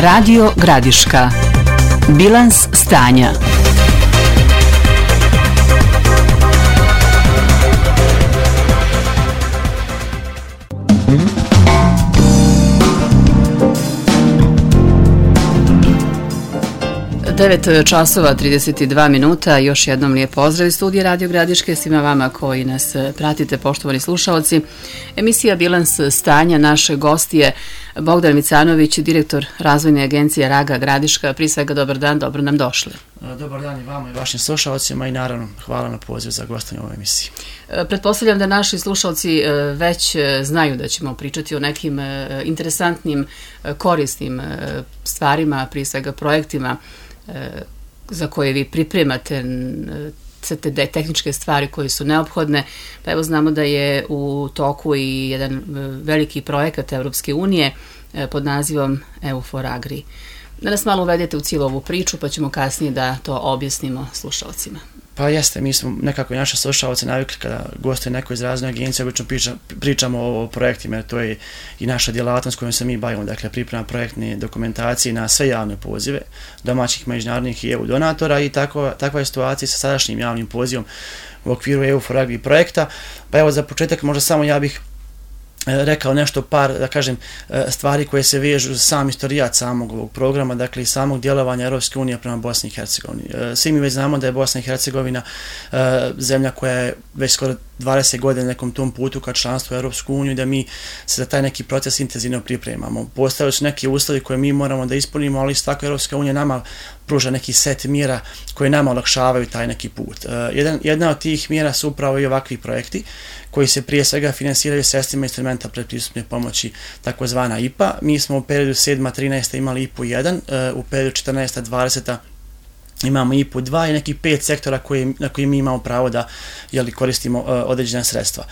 Radio Gradiška. Bilans stanja. časova 32 minuta. Još jednom lijep pozdrav iz studija Radio Gradiške svima vama koji nas pratite, poštovani slušaoci. Emisija Bilans stanja, naše gost je Bogdan Micanović, direktor razvojne agencije Raga Gradiška. Prije svega dobar dan, dobro nam došli. Dobar dan i vama i vašim slušalcima i naravno hvala na pozivu za gostovanje u ovoj emisiji. Pretpostavljam da naši slušalci već znaju da ćemo pričati o nekim interesantnim, korisnim stvarima, prije svega projektima za koje vi pripremate sve te tehničke stvari koje su neophodne. Pa evo znamo da je u toku i jedan veliki projekat Evropske unije pod nazivom EU4Agri. Da nas malo uvedete u cijelu ovu priču pa ćemo kasnije da to objasnimo slušalcima. Pa jeste, mi smo nekako i naše slušalce navikli kada gostuje neko iz razne agencije, obično pričamo o projektima, jer to je i naša djelatnost kojom se mi bavimo, dakle priprema projektne dokumentacije na sve javne pozive, domaćih, međunarodnih i EU donatora i takva je situacija sa sadašnjim javnim pozivom u okviru EU4Agri projekta. Pa evo za početak možda samo ja bih rekao nešto par, da kažem, stvari koje se vežu za sam istorijat samog ovog programa, dakle i samog djelovanja Europske unije prema Bosni i Hercegovini. Svi mi već znamo da je Bosna i Hercegovina zemlja koja je već skoro 20 godina nekom tom putu ka članstvu u Europsku uniju, da mi se za taj neki proces intenzivno pripremamo. Postavili su neki uslovi koje mi moramo da ispunimo, ali isto tako Europska unija nama pruža neki set mjera koje nama olakšavaju taj neki put. Jedna od tih mjera su upravo i ovakvi projekti koji se prije svega finansiraju sredstvima instrumenta predpristupne pomoći, takozvana IPA. Mi smo u periodu 7-13 imali IPU 1, u periodu 14-20 imamo IPU 2 i nekih 5 sektora na koji mi imamo pravo da koristimo određena sredstva.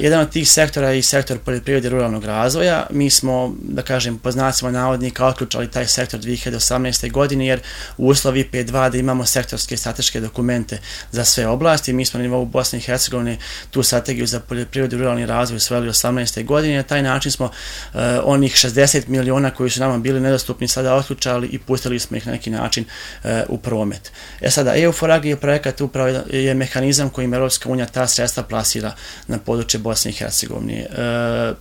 Jedan od tih sektora je i sektor poljoprivrede i ruralnog razvoja. Mi smo, da kažem, po znacima navodnika otključali taj sektor 2018. godine jer u uslovi IPA 2 da imamo sektorske strateške dokumente za sve oblasti. Mi smo na nivou Bosne i Hercegovine tu strategiju za poljoprivredu i ruralni razvoj usvojili 18. godine i na taj način smo onih 60 miliona koji su nama bili nedostupni sada otključali i pustili smo ih na neki način u promet. Sada, EU4Agri projekat upravo je mehanizam kojim Europska unija ta sredstva plasira na područje Bosne i Hercegovine.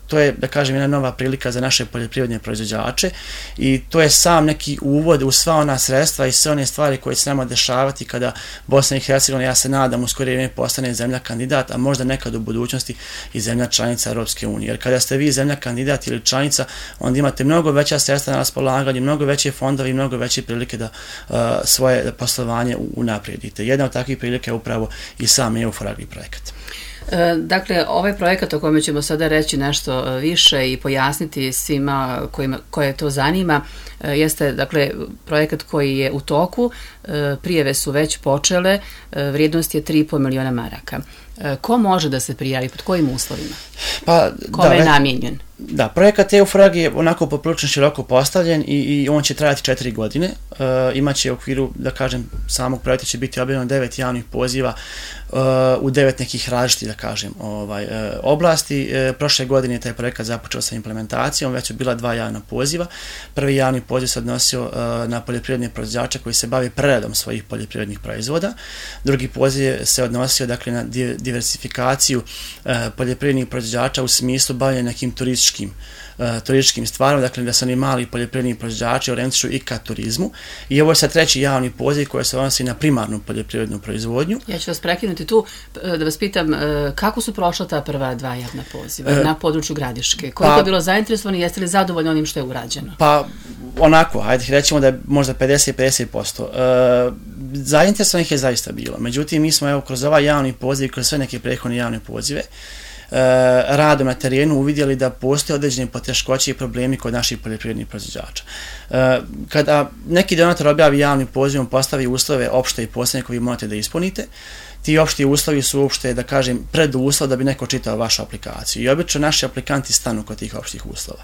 To je, da kažem, jedna nova prilika za naše poljoprivredne proizvođače i to je sam neki uvod u sva ona sredstva i sve one stvari koje će se nama dešavati kada Bosna i Hercegovina, ja se nadam, u skorije vrijeme postane zemlja kandidat, a možda nekad u budućnosti i zemlja članica Europske unije. Jer kada ste vi zemlja kandidat ili članica, onda imate mnogo veća sredstva na raspolaganju, mnogo veće fondove i mnogo veće prilike da svoje poslovanje unaprijedite. Jedna od takvih prilika je upravo i sam EU4Agri projekat. Dakle, ovaj projekat o kojem ćemo sada reći nešto više i pojasniti svima koje to zanima, jeste, dakle, projekat koji je u toku, prijave su već počele, vrijednost je 3,5 miliona maraka. Ko može da se prijavi, pod kojim uslovima? Kome je namijenjen? Da, projekat EU4Agri je onako poprilično široko postavljen i on će trajati 4 godine. Imaće u okviru, da kažem, samog projekta će biti objavljeno 9 javnih poziva u 9 nekih različitih, da kažem, oblasti. Prošle godine je taj projekat započeo sa implementacijom, već su bila 2 javna poziva. Prvi javni poziv se odnosio na poljoprivredne proizvođače koji se bave preradom svojih poljoprivrednih proizvoda. Drugi poziv se odnosio, dakle, na diversifikaciju poljoprivrednih proizvođača u smislu bavljanja nekim turističkim stvarima, dakle da se oni mali poljoprivredni proizvođači orijentišu i ka turizmu. I ovo je sad treći javni poziv koji se odnosi na primarnu poljoprivrednu proizvodnju. Ja ću vas prekinuti tu da vas pitam kako su prošla ta prva 2 javna poziva na području Gradiške? Koliko je bilo zainteresovani, jeste li zadovoljni onim što je urađeno? Pa onako, hajde rećemo da je možda 50% zainteresovanih je zaista bilo. Međutim, mi smo kroz ovaj javni poziv, kroz sve neke prethodne javne pozive, radom na terenu uvidjeli da postoje određene poteškoće i problemi kod naših poljoprivrednih proizvođača. Kada neki donator objavi javni poziv, on postavi uslove opšte i posebne koje vi morate da ispunite. Ti opšti uslovi su uopšte, da kažem, preduslov da bi neko čitao vašu aplikaciju. I obično naši aplikanti stanu kod tih opštih uslova.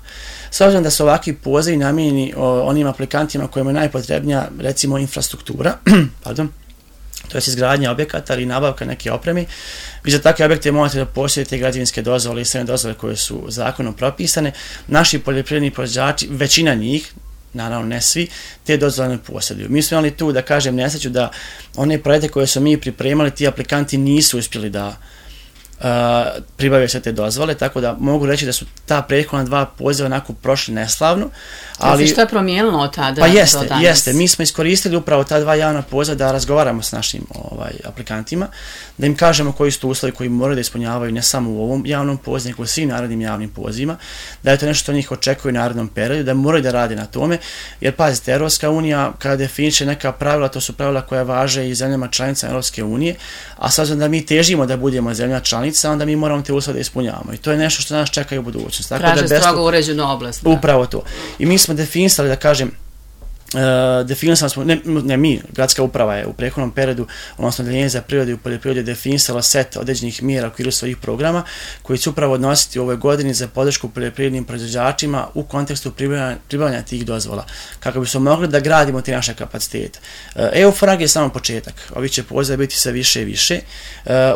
S obzirom da su ovakvi pozivi namijenjeni onim aplikantima kojima je najpotrebnija, recimo, infrastruktura, to je izgradnja objekata ili nabavka neke opreme. Vi za takve objekte morate da posjedite građevinske dozvole i sve dozvole koje su zakonom propisane. Naši poljoprivredni proizvođači, većina njih, naravno ne svi, te dozvole ne posjeduju. Mi smo imali tu, da kažem, nesreću da one projekte koje smo mi pripremali, ti aplikanti nisu uspjeli da pribavio sve te dozvole, tako da mogu reći da su ta prethodna 2 poziva onako prošli neslavno. Ali šta je promijenilo od tada pa do danas? Jeste. Mi smo iskoristili upravo ta 2 javna poziva da razgovaramo s našim aplikantima, da im kažemo koji su to uslovi koji moraju da ispunjavaju ne samo u ovom javnom pozivu, nego u svim narednim javnim pozivima, da je to nešto što njih očekuje u narednom periodu, da moraju da rade na tome, jer pazite, Europska unija kada definiše neka pravila, to su pravila koja važe i zemljama članicama Europske unije, a s obzirom da mi težimo da budemo zemlja članica, onda mi moramo te uslove da ispunjavamo. I to je nešto što nas čeka i u budućnosti. Traže strogo uređenu oblast. Upravo to. I mi smo definisali, da kažem, definisali smo, ne mi, gradska uprava je u prethodnom periodu, odnosno Odeljenje za prirodu i poljoprivredu definisala set određenih mjera u okviru svojih programa koji će upravo odnositi u ovoj godini za podršku poljoprivrednim proizvođačima u kontekstu pribavljanja tih dozvola, kako bi smo mogli da gradimo te naše kapacitete. EU-FRAG je samo početak, ovi će pozive biti sve više i više.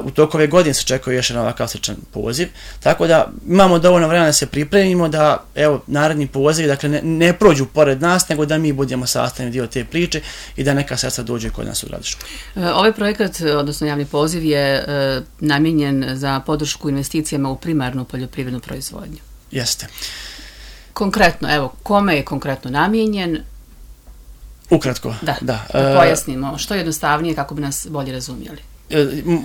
U toku ove godine se očekuje još jedan ovakav sličan poziv, tako da imamo dovoljno vremena da se pripremimo, da evo naredni poziv, dakle ne prođu pored nas, nego da mi budemo sastavni dio te priče i da neka sredstva dođe kod nas u Gradišku. Ovaj projekat, odnosno javni poziv, je namijenjen za podršku investicijama u primarnu poljoprivrednu proizvodnju. Jeste. Konkretno, evo, kome je konkretno namijenjen? Ukratko. Da pojasnimo, što je jednostavnije kako bi nas bolje razumjeli.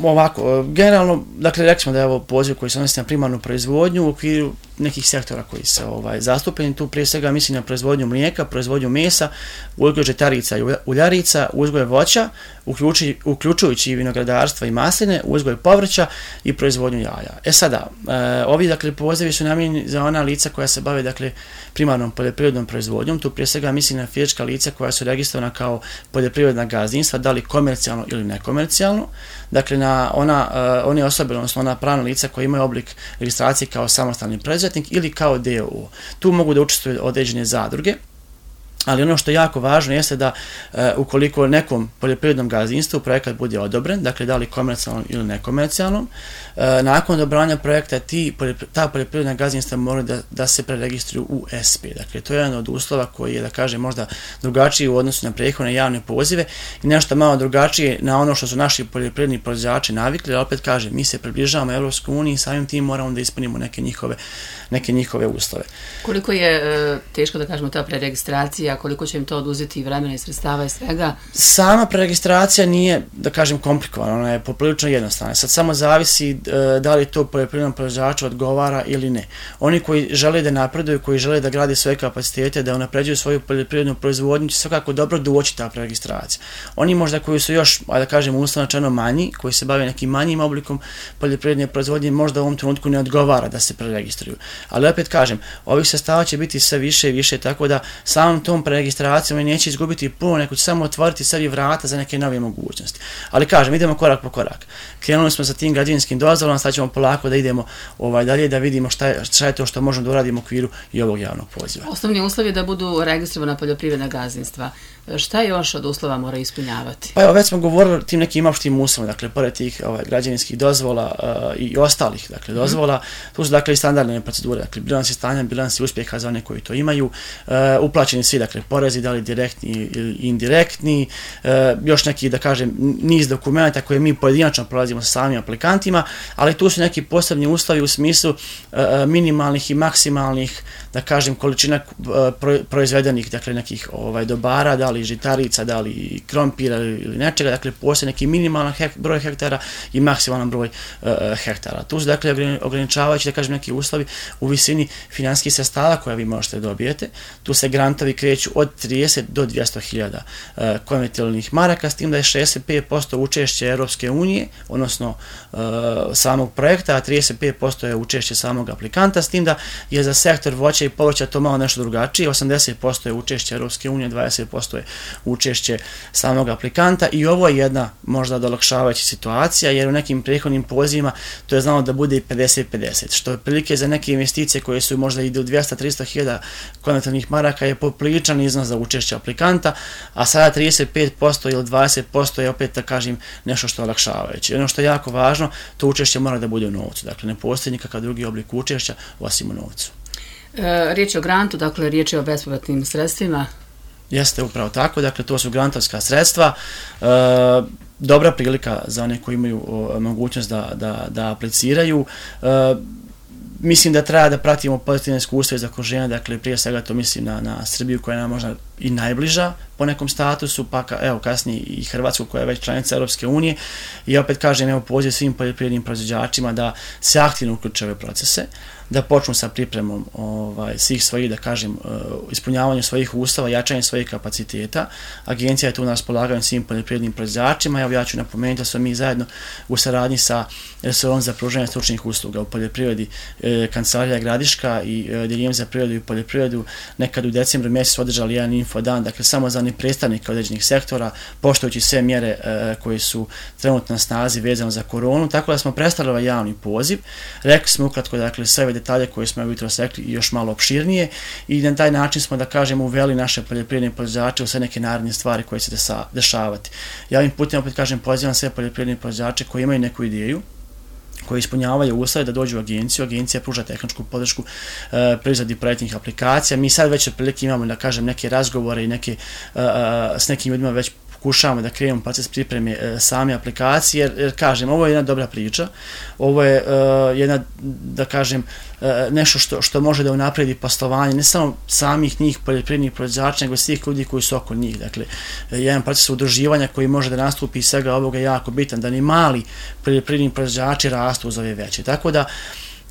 Ovako, generalno, dakle, rekli smo da je ovo poziv koji se odnosi na primarnu proizvodnju u okviru nekih sektora koji se zastupljeni. Tu prije svega mislim na proizvodnju mlijeka, proizvodnju mesa, uzgoj žitarica i uljarica, uzgoj voća, uključujući i vinogradarstva i masline, uzgoj povrća i proizvodnju jaja. Sada, ovi dakle pozivi su namijenjeni za ona lica koja se bave dakle primarnom poljoprivrednom proizvodnjom. Tu prije svega mislim na fizička lica koja su registrovana kao poljoprivredna gazdinstva, da li komercijalno ili nekomercijalno. Dakle, na one osobe, odnosno ona pravna lica koja imaju oblik registracije kao samostalni preduzetnik ili kao d.o.o. Tu mogu da učestvuju određene zadruge, ali ono što je jako važno jeste da ukoliko nekom poljoprivrednom gazdinstvu projekat bude odobren, dakle da li komercijalno ili nekomercijalno, nakon odobravanja projekta ta poljoprivredna gazdinstva moraju da se preregistruju u SP. Dakle, to je jedan od uslova koji je, da kažem, možda drugačiji u odnosu na prethodne javne pozive i nešto malo drugačije na ono što su naši poljoprivredni proizvođači navikli, ali opet kažem, mi se približavamo Evropskoj uniji i samim tim moramo da ispunimo neke njihove uslove. Koliko je teško, da kažemo, ta preregistracija, koliko će im to oduzeti vremena i sredstava i svega? Sama preregistracija nije, da kažem, komplikovana, ona je poprilično jednostavna. Sad samo zavisi da li to poljoprivrednom proizvođaču odgovara ili ne. Oni koji žele da napreduju, koji žele da grade svoje kapacitete, da unapređuju svoju poljoprivrednu proizvodnju, će svakako dobro doći ta preregistracija. Oni možda koji su još, da kažem, uslovno manji, koji se bave nekim manjim oblikom poljoprivredne proizvodnje, možda u ovom trenutku ne odgovara da se preregistruju. Ali opet kažem, ovih sredstava će biti sve više i više, tako da samom tom preregistracijom oni neće izgubiti puno, nego će samo otvoriti sebi vrata za neke nove mogućnosti. Ali kažem, idemo korak po korak. Krenuli smo sa tim građevinskim dozvolama, sad ćemo polako da idemo dalje, da vidimo šta je to što možemo da uradimo u okviru i ovog javnog poziva. Osnovni uslov je da budu registrovana poljoprivredna gazdinstva. Šta još od uslova mora ispunjavati? Pa evo, već smo govorili o tim nekim opštim uslovima, dakle, pored tih građevinskih dozvola i ostalih dozvola, tu su dakle i standardne procedure, dakle, bilansi stanja, bilansi uspjeha za one koji to imaju, uplaćeni svi, dakle, porezi, da li direktni ili indirektni, još neki, da kažem, niz dokumenta koje mi pojedinačno prolazimo sa samim aplikantima, ali tu su neki posebni uslovi u smislu minimalnih i maksimalnih, da kažem, količina proizvedenih, dakle, nekih dobara, da li žitarica, da li krompira ili nečega, dakle, postoje neki minimalan broj hektara i maksimalan broj hektara. Tu su, dakle, ograničavajući, da kažem, neki uslovi u visini finansijskih sredstava koje vi možete dobijete. Tu se grantovi kreću od 30 do 200.000 konvertibilnih maraka, s tim da je 65% učešće Europske unije, odnosno samog projekta, a 35% je učešće samog aplikanta, s tim da je za sektor voća i povrća to malo nešto drugačije, 80% je učešće Europske unije, 20% je učešće samog aplikanta i ovo je jedna možda olakšavajuća situacija, jer u nekim prethodnim pozivima to je znalo da bude i 50-50, što je prilike za neke investicije koje su možda i do 200-300.000 konvertibilnih maraka je popriličan novčani iznos za učešće aplikanta, a sada 35% ili 20% je opet, da kažem, nešto što je olakšavajuće. Ono što je jako važno, to učešće mora da bude u novcu. Dakle, ne postoji nikakav drugi oblik učešća osim u novcu. Riječ je o grantu, dakle riječ je o bespovratnim sredstvima. Jeste upravo tako, dakle to su grantovska sredstva, dobra prilika za one koji imaju mogućnost da apliciraju. Mislim da treba da pratimo pozitivne iskustva iz okruženja, dakle prije svega to mislim na Srbiju koja je nam možda i najbliža po nekom statusu, pa evo kasnije i Hrvatsku koja je već članica Europske unije i opet kažem evo poziv svim poljoprivrednim proizvođačima da se aktivno uključe ove procese, da počnu sa pripremom svih svojih, da kažem, ispunjavanju svojih uslova, jačanjem svojih kapaciteta. Agencija je tu na raspolaganju svim poljoprivrednim proizvođačima. Evo ja ću napomenuti da smo mi zajedno u saradnji sa resorom za pružanje stručnih usluga u poljoprivredi Kancelarija Gradiška i Odeljenjem za privredu i poljoprivredu nekad u decembru mjesecu održali jedan infodan, dakle samo za predstavnike određenih sektora, poštujući sve mjere koje su trenutno na snazi vezano za koronu, tako da smo predstavili ovaj javni poziv. Rekli smo ukratko, dakle, sve ove detalje koje smo jutros rekli i još malo opširnije i na taj način smo, da kažemo, uveli naše poljoprivredne proizvođače u sve neke naredne stvari koje će se dešavati. Ja ovim putem opet kažem, pozivam sve poljoprivredne proizvođače koji imaju neku ideju, koji ispunjavaju uslove da dođu u agenciju. Agencija pruža tehničku podršku pri izradi projektnih aplikacija. Mi sad već otprilike imamo, da kažem, neke razgovore i s nekim ljudima već pokušavamo da krenemo proces pripreme same aplikacije, jer kažem, ovo je jedna dobra priča, ovo je jedna, da kažem, nešto što može da unapredi poslovanje, ne samo samih njih poljoprivrednih proizvođača, nego svih ljudi koji su oko njih. Dakle, jedan proces udruživanja koji može da nastupi iz svega ovoga je jako bitan, da ni mali poljoprivredni proizvođači rastu uz ove veće. Tako da,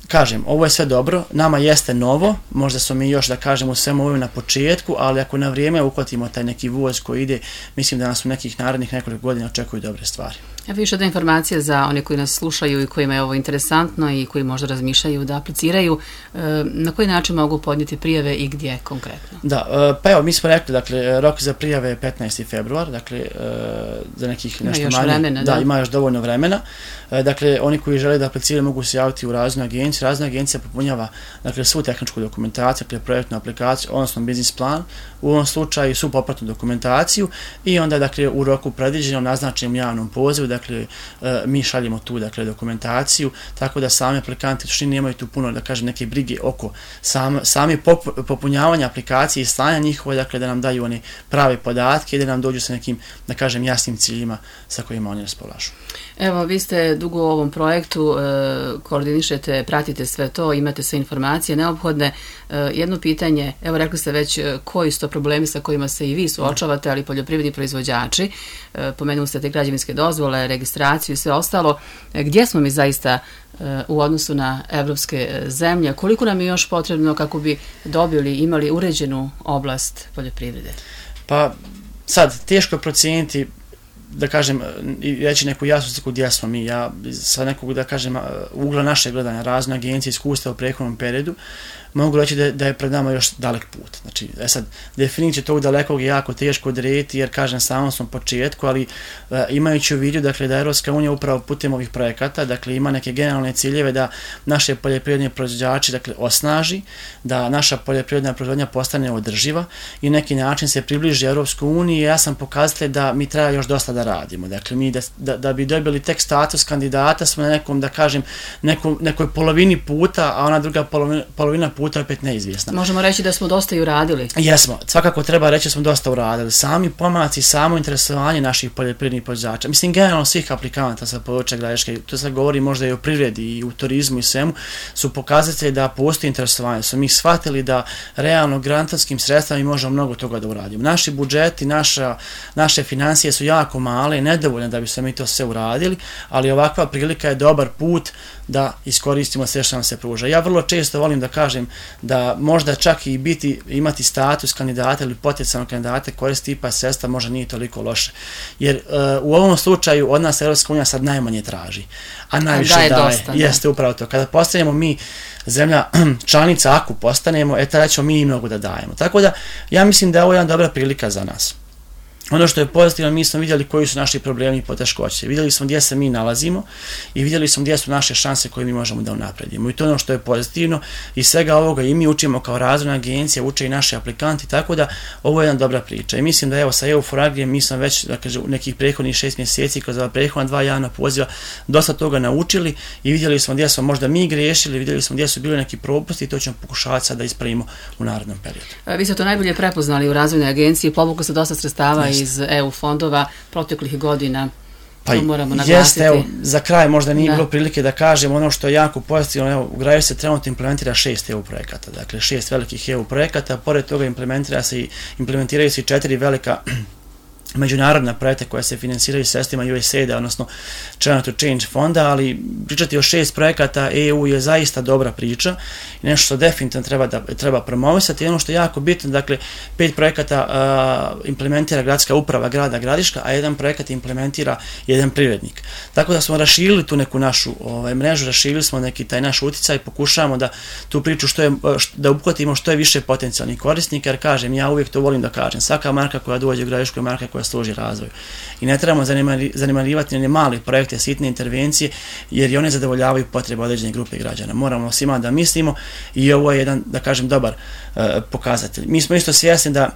kažem, ovo je sve dobro, nama jeste novo, možda smo mi još, da kažem, u svemu ovome na početku, ali ako na vrijeme uhvatimo taj neki voz koji ide, mislim da nas u nekih narednih nekoliko godina očekuju dobre stvari. Evo još jedna informacija za one koji nas slušaju i kojima je ovo interesantno i koji možda razmišljaju da apliciraju. Na koji način mogu podnijeti prijave i gdje konkretno? Da, pa evo, mi smo rekli, dakle, rok za prijave je 15. februar, dakle, za nekih nešto manje. Vremena, da, ima još dovoljno vremena. Dakle, oni koji žele da apliciraju mogu se javiti u razvojnu agenciju. Razvojna agencija popunjava, dakle, svu tehničku dokumentaciju, dakle, projektnu aplikaciju, odnosno biznis plan, u ovom slučaju svu popratnu dokumentaciju i onda, dakle, u roku predviđenom naznačenom javnom pozivu, dakle, mi šaljemo tu, dakle, dokumentaciju, tako da sami aplikanti u suštini nemaju tu puno, da kažem, neke brige oko same popunjavanja aplikacije i slanja njihove, dakle, da nam daju one prave podatke i da nam dođu sa nekim, da kažem, jasnim ciljima sa kojima oni raspolažu. Evo, vi ste dugo u ovom projektu, koordinišete, pratite sve to, imate sve informacije neophodne. Jedno pitanje, evo rekli ste već koji su to problemi sa kojima se i vi suočavate, ali poljoprivredni proizvođači, pomenuli ste te građevinske dozvole, registraciju i sve ostalo. Gdje smo mi zaista u odnosu na evropske zemlje? Koliko nam je još potrebno kako bi imali uređenu oblast poljoprivrede? Pa sad, teško je procijeniti, da kažem, i reći neku jasnu sliku gdje smo mi. Ja sa nekog, da kažem, ugla naše gledanja, razne agencije, iskustva u prethodnom periodu, mogu reći da je pred nama još dalek put. Znači, sad, definiciju tog dalekog je jako teško odrediti, jer, kažem, samo smo početku, ali imajući u vidu, dakle, da Europska unija upravo putem ovih projekata, dakle, ima neke generalne ciljeve da naše poljoprivredne proizvođači, dakle, osnaži, da naša poljoprivredna proizvodnja postane održiva i neki način se približi Europskoj uniji. Ja sam pokazatelj da mi treba još dosta da radimo. Dakle, mi da bi dobili tek status kandidata smo na nekom, da kažem, nekoj polovini puta, a ona druga polovina puta je opet neizvjesna. Možemo reći da smo dosta i uradili. Jesmo, svakako treba reći da smo dosta uradili. Sami pomaci, samo interesovanje naših poljoprivrednih proizvođača, mislim generalno svih aplikanata sa područja Gradiške, to se govori možda i o privredi i u turizmu i svemu, su pokazatelji da postoji interesovanje. Su mi shvatili da realno grantovskim sredstvima možemo mnogo toga da uradimo. Naši budžeti, naše financije su jako male i nedovoljne da bi se mi to sve uradili, ali ovakva prilika je dobar put da iskoristimo sve što nam se pruža. Ja vrlo često volim da kažem da možda čak i imati status kandidata ili potencijalnog kandidata koristiti IPA sredstva možda nije toliko loše. Jer u ovom slučaju od nas Europska unija sad najmanje traži, a najviše daje. Dosta, jeste upravo to. Kada postanemo mi zemlja članica, ako postanemo, tada ćemo mi i mnogo da dajemo. Tako da ja mislim da je ovo jedna dobra prilika za nas. Ono što je pozitivno, mi smo vidjeli koji su naši problemi i poteškoće. Vidjeli smo gdje se mi nalazimo i vidjeli smo gdje su naše šanse koje mi možemo da unapredimo. I to je ono što je pozitivno. I svega ovoga i mi učimo kao razvojna agencija, uče i naši aplikanti, tako da ovo je jedna dobra priča. I mislim da evo sa EU4Agrijem mi smo već u nekih prethodnih 6 mjeseci kroz ova prethodna 2 javna poziva dosta toga naučili i vidjeli smo gdje smo možda mi griješili, vidjeli smo gdje su bili neki propusti i to ćemo pokušavati sad da ispravimo u narednom periodu. Vi ste to najbolje prepoznali u razvojnoj agenciji, povuklo se dosta sredstava iz EU fondova proteklih godina. Pa jeste, evo, za kraj možda nije bilo prilike da kažem ono što je jako pozitivno, evo, u Graju se trenutno implementira 6 EU projekata, dakle 6 velikih EU projekata, pored toga implementiraju se i 4 velika međunarodna projekta koja se finansiraju sredstvima USAID-a, odnosno China to Change fonda, ali pričati o 6 projekata EU je zaista dobra priča i nešto što definitivno treba promovisati. I ono što je jako bitno, dakle, 5 projekata implementira gradska uprava grada Gradiška, a 1 projekat implementira jedan privrednik. Tako da smo raširili tu neku našu mrežu, raširili smo neki taj naš utjecaj i pokušavamo da tu priču da obuhvatimo što je više potencijalnih korisnika, jer kažem, ja uvijek to volim da kažem, svaka marka koja dođe u Gradišku je marka koja služi razvoju. I ne trebamo zanemarivati one male projekte, sitne intervencije, jer i one zadovoljavaju potrebe određene grupe građana. Moramo svima da mislimo i ovo je jedan, da kažem, dobar pokazatelj. Mi smo isto svjesni da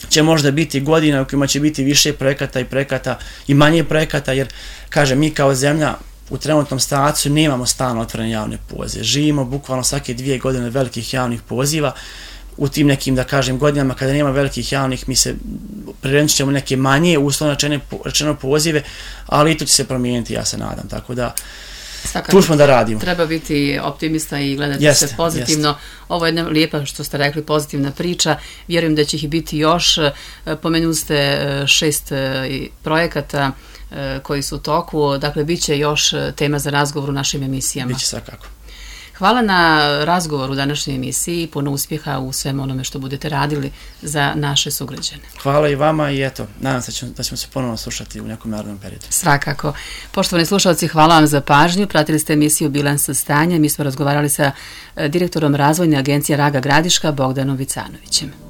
će možda biti godina u kojima će biti više projekata i manje projekata, jer, kažem, mi kao zemlja u trenutnom statusu nemamo stalno otvorene javne pozive. Živimo bukvalno svake 2 godine velikih javnih poziva. U tim nekim, da kažem, godinama kada nema velikih javnih, mi se prirenčit ćemo neke manje, uslovno rečeno pozive, ali i to će se promijeniti, ja se nadam, tako da tu smo da radimo. Treba biti optimista i gledati se pozitivno. Ovo je jedna lijepa, što ste rekli, pozitivna priča. Vjerujem da će ih biti još. Pomenuli ste 6 projekata koji su u toku. Dakle, bit će još tema za razgovor u našim emisijama. Biće svakako. Hvala na razgovoru u današnjoj emisiji i puno uspjeha u svem onome što budete radili za naše sugrađane. Hvala i vama i eto, nadam se da ćemo se ponovno slušati u nekom narednom periodu. Svakako. Poštovani slušalci, hvala vam za pažnju. Pratili ste emisiju Bilans stanja. Mi smo razgovarali sa direktorom razvojne agencije Raga Gradiška Bogdanom Vicanovićem.